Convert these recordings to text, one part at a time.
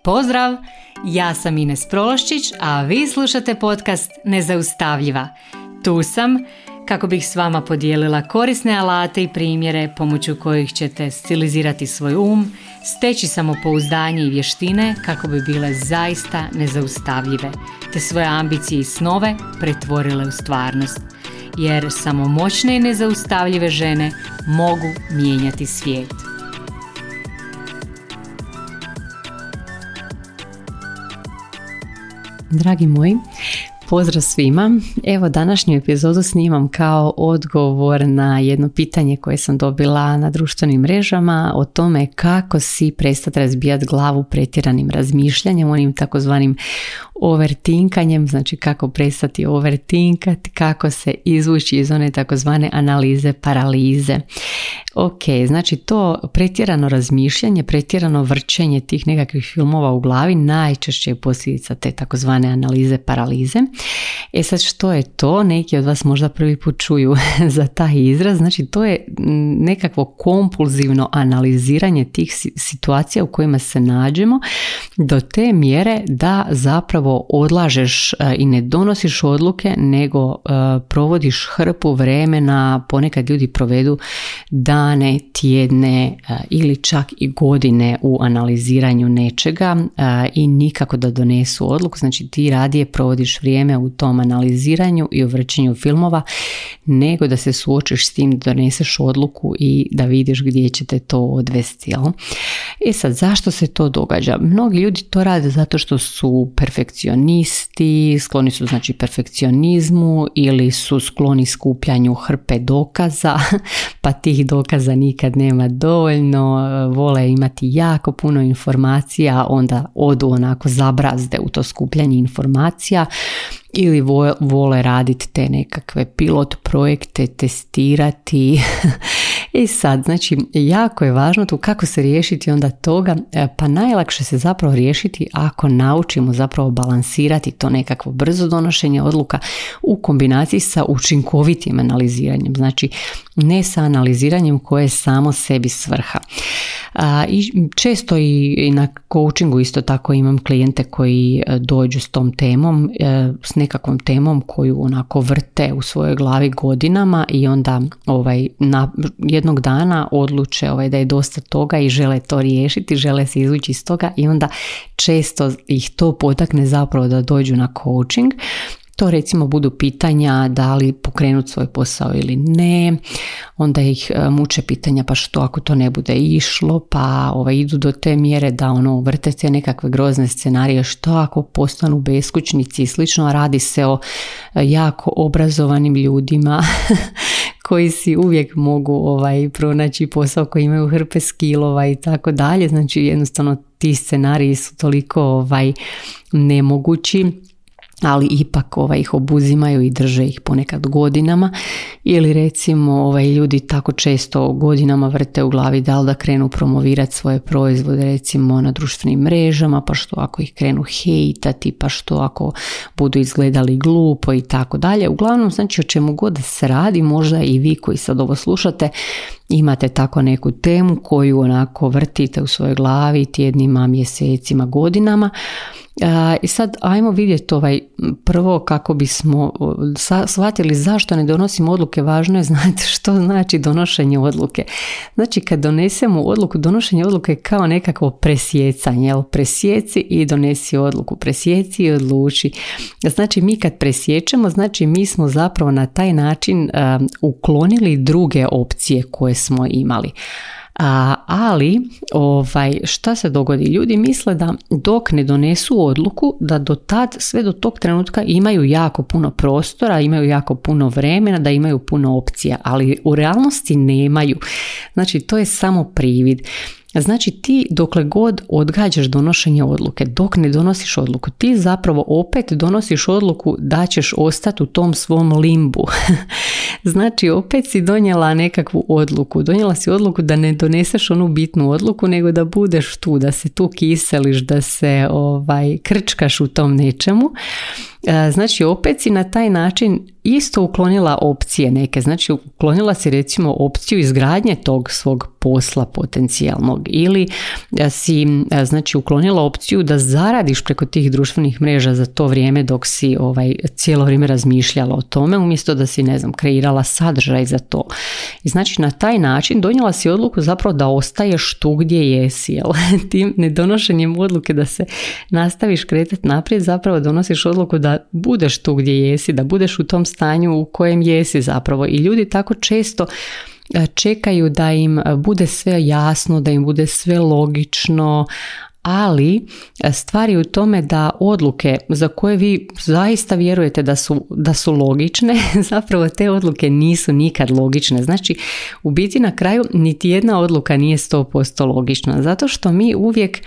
Pozdrav! Ja sam Ines Prološčić, a vi slušate podcast Nezaustavljiva. Tu sam kako bih s vama podijelila korisne alate i primjere pomoću kojih ćete stilizirati svoj steći samopouzdanje i vještine kako bi bile zaista nezaustavljive, te svoje ambicije i snove pretvorile u stvarnost. Jer samo moćne i nezaustavljive žene mogu mijenjati svijet. Dragi moji, pozdrav svima. Evo, današnju epizodu snimam kao odgovor na jedno pitanje koje sam dobila na društvenim mrežama o tome kako si prestati razbijati glavu pretjeranim razmišljanjem, onim takozvanim overtinkanjem, znači kako prestati overtinkati, kako se izvući iz one takozvane analize paralize. Ok, znači to pretjerano razmišljanje, pretjerano vrćenje tih nekakvih filmova u glavi najčešće je posljedica te takozvane analize paralize. Sad što je to? Neki od vas možda prvi put čuju za taj izraz. Znači to je nekakvo kompulzivno analiziranje tih situacija u kojima se nađemo do te mjere da zapravo odlažeš i ne donosiš odluke, nego provodiš hrpu vremena, ponekad ljudi provedu dane, tjedne ili čak i godine u analiziranju nečega i nikako da donesu odluku. Znači ti radije provodiš vrijeme u tom analiziranju i u vrćenju filmova nego da se suočiš s tim, da doneseš odluku i da vidiš gdje će te to odvesti. Jel? Sad, zašto se to događa? Mnogi ljudi to rade zato što su perfekcionisti, skloni su znači perfekcionizmu ili su skloni skupljanju hrpe dokaza, pa tih dokaza nikad nema dovoljno, vole imati jako puno informacija, onda odu onako zabrazde u to skupljanje informacija, ili vole raditi te nekakve pilot projekte, testirati. I sad, znači, jako je važno tu kako se riješiti onda toga, pa najlakše se zapravo riješiti ako naučimo zapravo balansirati to nekakvo brzo donošenje odluka u kombinaciji sa učinkovitim analiziranjem, znači ne sa analiziranjem koje je samo sebi svrha. I često i na coachingu isto tako imam klijente koji dođu s tom temom, s nekakvom temom koju onako vrte u svojoj glavi godinama i onda jednog dana odluče da je dosta toga i žele to riješiti, žele se izvući iz toga i onda često ih to potakne zapravo da dođu na coaching. To recimo budu pitanja da li pokrenuti svoj posao ili ne, onda ih muče pitanja pa što ako to ne bude išlo, pa idu do te mjere da vrte te nekakve grozne scenarije, što ako postanu beskućnici i slično, a radi se o jako obrazovanim ljudima koji si uvijek mogu pronaći posao, koji imaju hrpe skillova i tako dalje, znači jednostavno ti scenariji su toliko nemogući, ali ipak ih obuzimaju i drže ih ponekad godinama. Ili recimo ljudi tako često godinama vrte u glavi da li da krenu promovirati svoje proizvode recimo na društvenim mrežama, pa što ako ih krenu hejtati, pa što ako budu izgledali glupo i tako dalje. Uglavnom, znači o čemu god se radi, možda i vi koji sad ovo slušate imate tako neku temu koju onako vrtite u svojoj glavi tjednima, mjesecima, godinama. I sad ajmo vidjeti prvo kako bismo shvatili zašto ne donosimo odluke. Važno je znati što znači donošenje odluke. Znači kad donesemo odluku, donošenje odluke je kao nekakvo presjecanje, jel? Presjeci i donesi odluku, presjeci i odluči. Znači mi kad presjećemo, znači mi smo zapravo na taj način uklonili druge opcije koje smo imali. Ali šta se dogodi? Ljudi misle da dok ne donesu odluku, da do tad, sve do tog trenutka imaju jako puno prostora, imaju jako puno vremena, da imaju puno opcija, ali u realnosti nemaju. Znači to je samo privid. Znači ti dokle god odgađaš donošenje odluke, dok ne donosiš odluku, ti zapravo opet donosiš odluku da ćeš ostati u tom svom limbu. Znači opet si donijela nekakvu odluku, donijela si odluku da ne doneseš onu bitnu odluku, nego da budeš tu, da se tu kiseliš, da se krčkaš u tom nečemu. Znači opet si na taj način isto uklonila opcije neke, znači uklonila si recimo opciju izgradnje tog svog posla potencijalnog ili si znači uklonila opciju da zaradiš preko tih društvenih mreža za to vrijeme dok si cijelo vrijeme razmišljala o tome, umjesto da si kreirala sadržaj za to. I znači na taj način donijela si odluku zapravo da ostaješ tu gdje jesi, jel? Tim nedonošenjem odluke da se nastaviš kretati naprijed zapravo donosiš odluku da budeš tu gdje jesi, da budeš u tom stanju u kojem jesi zapravo. I ljudi tako često čekaju da im bude sve jasno, da im bude sve logično, ali stvar je u tome da odluke za koje vi zaista vjerujete da su logične, zapravo te odluke nisu nikad logične. Znači, u biti na kraju niti jedna odluka nije 100% logična, zato što mi uvijek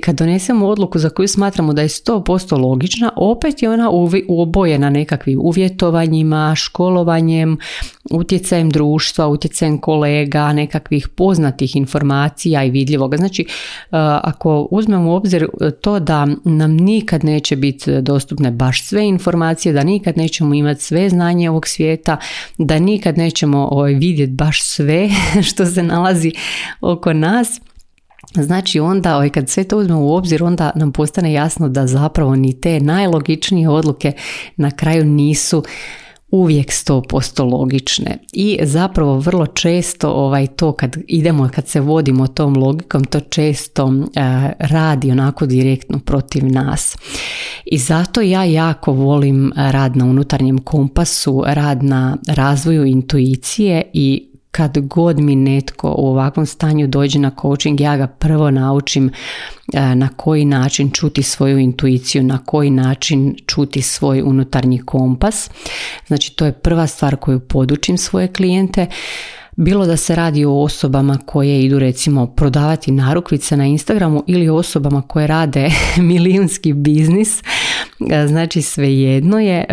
kad donesemo odluku za koju smatramo da je 100% logična, opet je ona obojena nekakvim uvjetovanjima, školovanjem, utjecajem društva, utjecajem kolega, nekakvih poznatih informacija i vidljivoga. Znači, ako uzmemo u obzir to da nam nikad neće biti dostupne baš sve informacije, da nikad nećemo imati sve znanje ovog svijeta, da nikad nećemo vidjeti baš sve što se nalazi oko nas, znači onda kad sve to uzmemo u obzir, onda nam postane jasno da zapravo ni te najlogičnije odluke na kraju nisu uvijek 100% logične. I zapravo vrlo često to kad se vodimo tom logikom, to često radi onako direktno protiv nas. I zato ja jako volim rad na unutarnjem kompasu, rad na razvoju intuicije i kad god mi netko u ovakvom stanju dođe na coaching, ja ga prvo naučim na koji način čuti svoju intuiciju, na koji način čuti svoj unutarnji kompas. Znači, to je prva stvar koju podučim svoje klijente. Bilo da se radi o osobama koje idu recimo prodavati narukvice na Instagramu ili osobama koje rade milijunski biznis, znači svejedno je,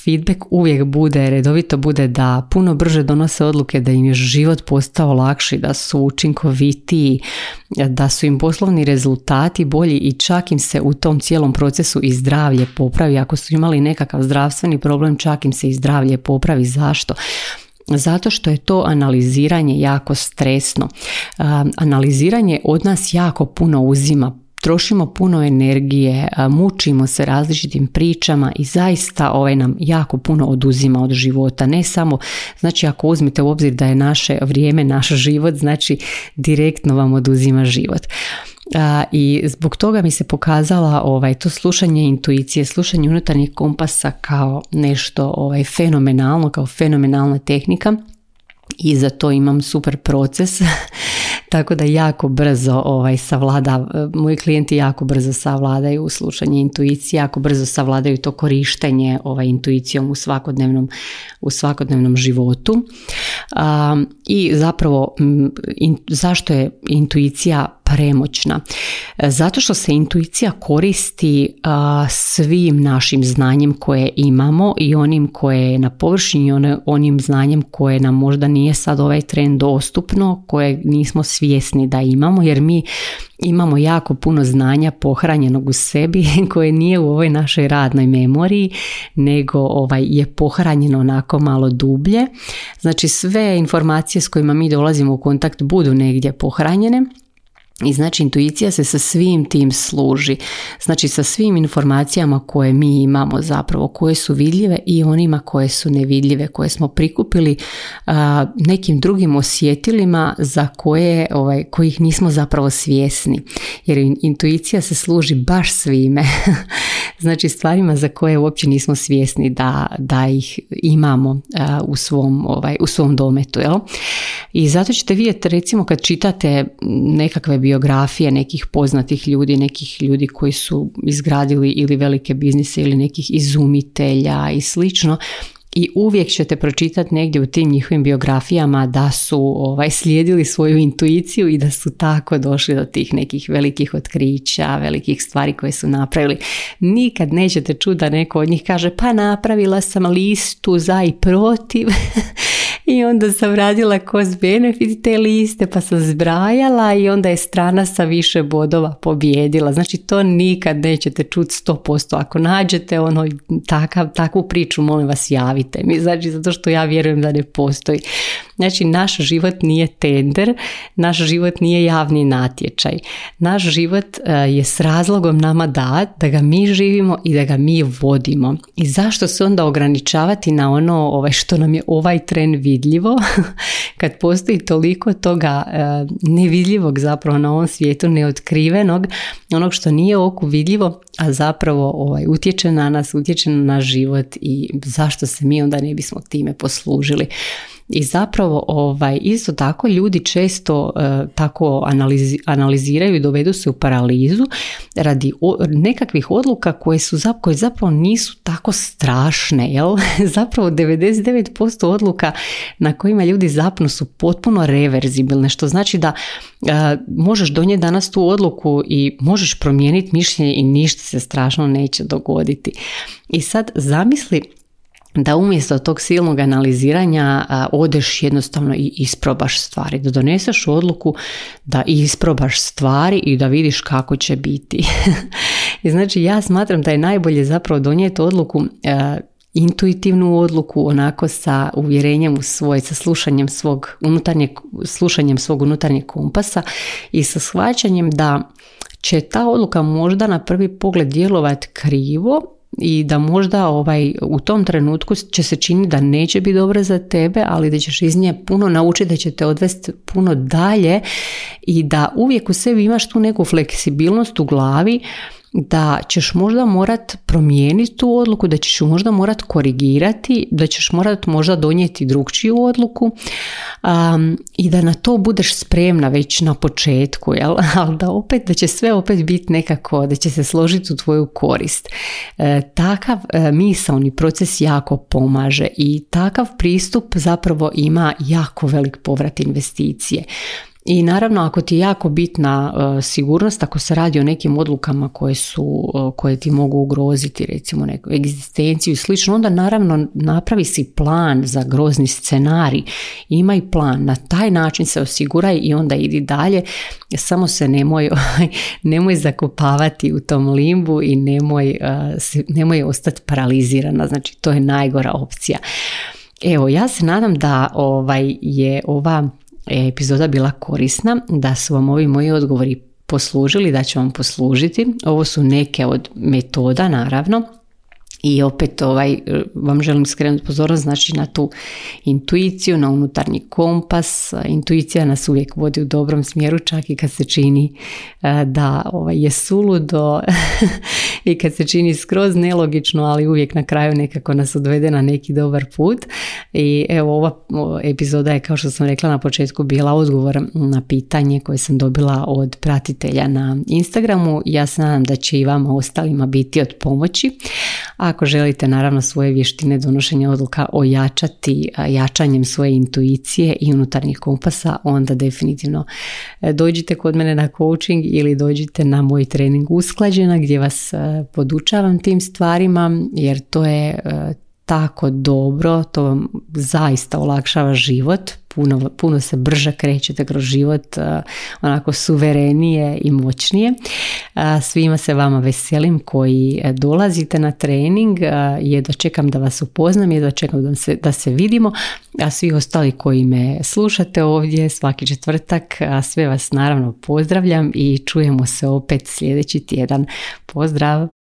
feedback uvijek redovito bude da puno brže donose odluke, da im je život postao lakši, da su učinkovitiji, da su im poslovni rezultati bolji i čak im se u tom cijelom procesu i zdravlje popravi. Ako su imali nekakav zdravstveni problem, čak im se i zdravlje popravi. Zašto? Zato što je to analiziranje jako stresno. Analiziranje od nas jako puno uzima, trošimo puno energije, mučimo se različitim pričama i zaista nam jako puno oduzima od života. Ne samo, znači ako uzmete u obzir da je naše vrijeme, naš život, znači direktno vam oduzima život. I zbog toga mi se pokazala to slušanje intuicije, slušanje unutarnjeg kompasa kao nešto fenomenalno, kao fenomenalna tehnika i za to imam super proces. Tako da jako brzo moji klijenti jako brzo savladaju slušanje intuicije, jako brzo savladaju to korištenje intuicijom u svakodnevnom životu. I zapravo zašto je intuicija premoćna? Zato što se intuicija koristi svim našim znanjem koje imamo i onim koje je na površini, onim znanjem koje nam možda nije sad ovaj tren dostupno, koje nismo svjesni da imamo, jer mi imamo jako puno znanja pohranjenog u sebi koje nije u ovoj našoj radnoj memoriji, nego je pohranjeno onako malo dublje. Znači sve informacije s kojima mi dolazimo u kontakt budu negdje pohranjene. I znači intuicija se sa svim tim služi, znači sa svim informacijama koje mi imamo zapravo, koje su vidljive i onima koje su nevidljive, koje smo prikupili nekim drugim osjetilima za kojih nismo zapravo svjesni, jer intuicija se služi baš svime, znači stvarima za koje uopće nismo svjesni da ih imamo u svom dometu, jel? I zato ćete vidjeti recimo kad čitate nekakve biografije nekih poznatih ljudi, nekih ljudi koji su izgradili ili velike biznise ili nekih izumitelja i slično, i uvijek ćete pročitati negdje u tim njihovim biografijama da su slijedili svoju intuiciju i da su tako došli do tih nekih velikih otkrića, velikih stvari koje su napravili. Nikad nećete čuti da neko od njih kaže pa napravila sam listu za i protiv i onda sam radila cost benefit te liste pa sam zbrajala i onda je strana sa više bodova pobijedila. Znači to nikad nećete čuti 100%. Ako nađete takvu priču, molim vas javite mi. Znači zato što ja vjerujem da ne postoji. Znači naš život nije tender, naš život nije javni natječaj. Naš život je s razlogom nama dat da ga mi živimo i da ga mi vodimo. I zašto se onda ograničavati na ono što nam je ovaj tren vidljivo kad postoji toliko toga nevidljivog zapravo na ovom svijetu, neotkrivenog, onog što nije oku vidljivo, a zapravo utječe na nas, utječe na naš život i zašto se mi onda ne bismo time poslužili. I zapravo isto tako ljudi često tako analiziraju i dovedu se u paralizu radi nekakvih odluka koje zapravo nisu tako strašne. Jel? Zapravo 99% odluka na kojima ljudi zapnu su potpuno reverzibilne, što znači da možeš donijeti danas tu odluku i možeš promijeniti mišljenje i ništa se strašno neće dogoditi. I sad zamisli da umjesto tog silnog analiziranja odeš jednostavno i isprobaš stvari, da doneseš odluku da isprobaš stvari i da vidiš kako će biti. I znači ja smatram da je najbolje zapravo donijeti odluku, intuitivnu odluku, onako sa uvjerenjem u svoj, sa slušanjem svog unutarnjeg kompasa i sa shvaćanjem da će ta odluka možda na prvi pogled djelovati krivo i da možda u tom trenutku će se činiti da neće biti dobro za tebe, ali da ćeš iz nje puno naučiti, da će te odvesti puno dalje i da uvijek u sebi imaš tu neku fleksibilnost u glavi da ćeš možda morat promijeniti tu odluku, da ćeš ju možda morat korigirati, da ćeš morat možda donijeti drugčiju odluku i da na to budeš spremna već na početku, jel? Ali da će sve opet biti nekako, da će se složiti u tvoju korist. Takav misaoni proces jako pomaže i takav pristup zapravo ima jako velik povrat investicije. I naravno ako ti je jako bitna sigurnost, ako se radi o nekim odlukama koje ti mogu ugroziti recimo neku egzistenciju i slično, onda naravno napravi si plan za grozni scenarij, imaj plan, na taj način se osiguraj i onda idi dalje, samo se nemoj zakopavati u tom limbu i nemoj ostati paralizirana, znači to je najgora opcija. Evo, ja se nadam da je ova epizoda bila korisna, da su vam ovi moji odgovori poslužili, da će vam poslužiti. Ovo su neke od metoda, naravno. I opet vam želim skrenuti pozornost, znači na tu intuiciju, na unutarnji kompas. Intuicija nas uvijek vodi u dobrom smjeru, čak i kad se čini da je suludo i kad se čini skroz nelogično, ali uvijek na kraju nekako nas odvede na neki dobar put. I evo, ova epizoda je, kao što sam rekla na početku, bila odgovor na pitanje koje sam dobila od pratitelja na Instagramu. Ja se nadam da će i vama ostalima biti od pomoći. Ako želite naravno svoje vještine donošenja odluka ojačati jačanjem svoje intuicije i unutarnjih kompasa, onda definitivno dođite kod mene na coaching ili dođite na moj trening Usklađena gdje vas podučavam tim stvarima, jer to je tako dobro, to vam zaista olakšava život, puno se brže krećete kroz život, onako suverenije i moćnije. Svima se vama veselim koji dolazite na trening, jedva čekam da vas upoznam, jedva čekam da se vidimo, a svi ostali koji me slušate ovdje svaki četvrtak, sve vas naravno pozdravljam i čujemo se opet sljedeći tjedan. Pozdrav!